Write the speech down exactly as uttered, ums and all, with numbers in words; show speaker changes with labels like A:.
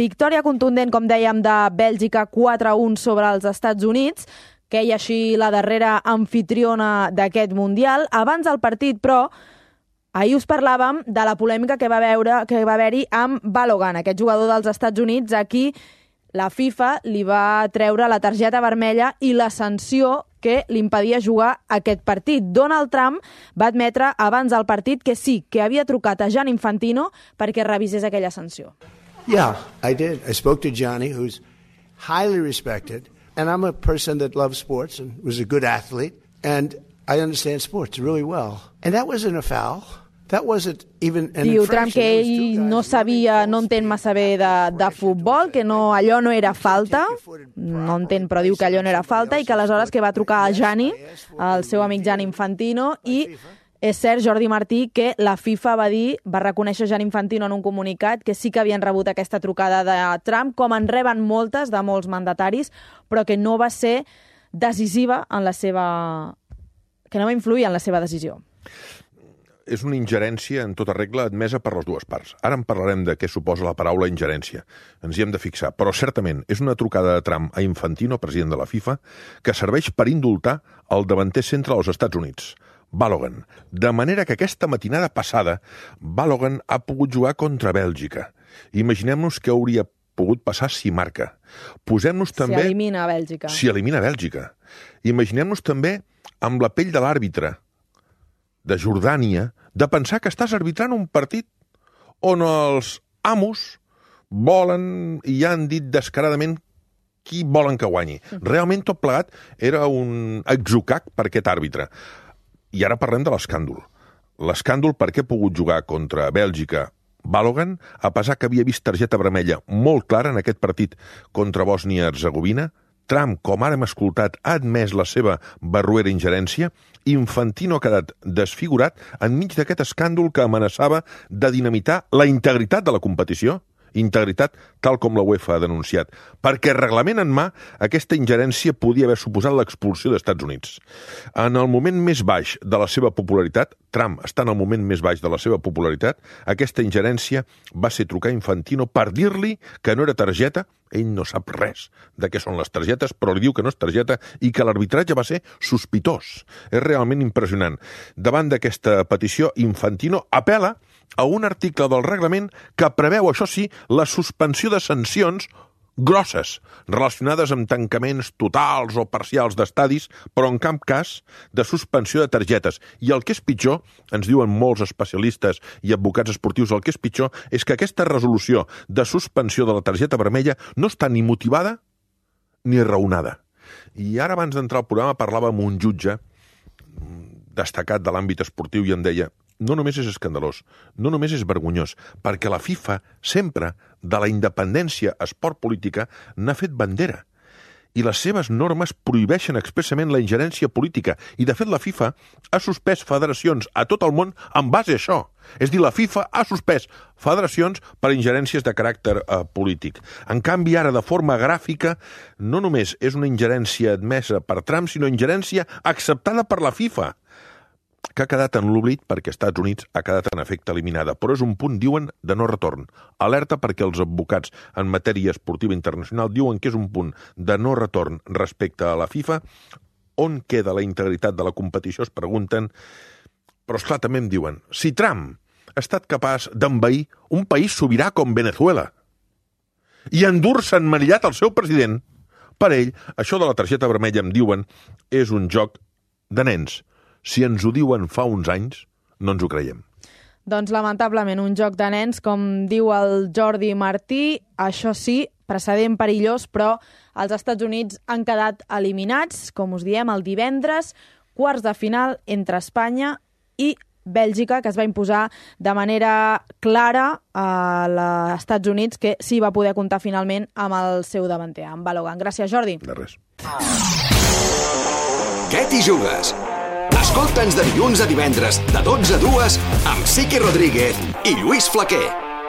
A: Victòria contundent, com dèiem, de Bèlgica quatre a un sobre els Estats Units, que hi així la darrera anfitriona d'aquest Mundial. Abans del partit, però, ahir us parlàvem de la polèmica que va veure que va haver-hi amb Balogun, aquest jugador dels Estats Units, a qui la FIFA li va treure la targeta vermella i la sanció que li impedia jugar aquest partit. Donald Trump va admetre abans del partit que sí, que havia trucat a Gianni Infantino perquè revisés aquella sanció.
B: Yeah, I did. I spoke to Gianni, who's highly respected, and I'm a person that loves sports and was a good athlete, and I understand sports really well. And that wasn't a foul. That wasn't even an
A: Diu
B: infraction.
A: Trump que ell no sabia, no entén massa bé de, de futbol, que no, allò no era falta, no entén, però diu que allò no era falta, i que aleshores que va trucar a Gianni, el seu amic Gianni Infantino, i és cert, Jordi Martí, que la FIFA va dir, va reconèixer Gianni Infantino en un comunicat que sí que havien rebut aquesta trucada de Trump, com en reben moltes de molts mandataris, però que no va ser decisiva en la seva... que no va influir en la seva decisió.
C: És una ingerència en tota regla admesa per les dues parts. Ara en parlarem de què suposa la paraula ingerència. Ens hi hem de fixar. Però certament és una trucada de Trump a Infantino, president de la FIFA, que serveix per indultar el davanter centre dels Estats Units, Balogun. De manera que aquesta matinada passada Balogun ha pogut jugar contra Bèlgica. Imaginem-nos què hauria pogut passar si marca. Posem-nos també...
A: Si elimina Bèlgica.
C: Si elimina Bèlgica. Imaginem-nos també amb la pell de l'àrbitre de Jordània, de pensar que estàs arbitrant un partit on els amos volen i ja han dit descaradament qui volen que guanyi. Realment tot plegat era un atzucac per aquest àrbitre. I ara parlem de l'escàndol. L'escàndol perquè ha pogut jugar contra Bèlgica Balogun, a pesar que havia vist targeta vermella molt clara en aquest partit contra Bòsnia-Herzegovina. Trump, com ara hem escoltat, ha admès la seva barruera ingerència. Infantino ha quedat desfigurat enmig d'aquest escàndol que amenaçava de dinamitar la integritat de la competició. Integritat tal com la UEFA ha denunciat, perquè reglament en mà aquesta ingerència podia haver suposat l'expulsió dels Estats Units. En el moment més baix de la seva popularitat, Trump està en el moment més baix de la seva popularitat, aquesta ingerència va ser trucar a Infantino per dir-li que no era targeta. Ell no sap res de què són les targetes, però li diu que no és targeta i que l'arbitratge va ser sospitós. És realment impressionant. Davant d'aquesta petició, Infantino apel·la a un article del reglament que preveu, això sí, la suspensió de sancions grosses, relacionades amb tancaments totals o parcials d'estadis, però en cap cas de suspensió de targetes. I el que és pitjor, ens diuen molts especialistes i advocats esportius, el que és pitjor és que aquesta resolució de suspensió de la targeta vermella no està ni motivada ni raonada. I ara, abans d'entrar al programa, parlava amb un jutge destacat de l'àmbit esportiu i em deia: no només és escandalós, no només és vergonyós, perquè la FIFA sempre, de la independència esport-política, n'ha fet bandera. I les seves normes prohibeixen expressament la ingerència política. I, de fet, la FIFA ha suspès federacions a tot el món en base a això. És a dir, la FIFA ha suspès federacions per ingerències de caràcter eh, polític. En canvi, ara, de forma gràfica, no només és una ingerència admesa per Trump, sinó ingerència acceptada per la FIFA, que ha quedat en l'oblit perquè Estats Units ha quedat en efecte eliminada. Però és un punt, diuen, de no retorn. Alerta perquè els advocats en matèria esportiva internacional diuen que és un punt de no retorn respecte a la FIFA. On queda la integritat de la competició, es pregunten. Però, esclar, també em diuen, si Trump ha estat capaç d'envair un país sobirà com Venezuela i endur-se emmanillat el seu president, per ell, això de la targeta vermella, em diuen, és un joc de nens. Si ens ho diuen fa uns anys, no ens ho creiem.
A: Doncs, lamentablement, un joc de nens, com diu el Jordi Martí. Això sí, precedent perillós, però els Estats Units han quedat eliminats, com us diem, el divendres, quarts de final entre Espanya i Bèlgica, que es va imposar de manera clara a els Estats Units, que sí va poder comptar finalment amb el seu davanter, amb Balogun. Gràcies, Jordi.
C: De res.
D: Què t'hi jugues? Escolta'ns de dilluns a divendres, de dotze a dues, amb Siqui Rodríguez i Lluís Flaquer.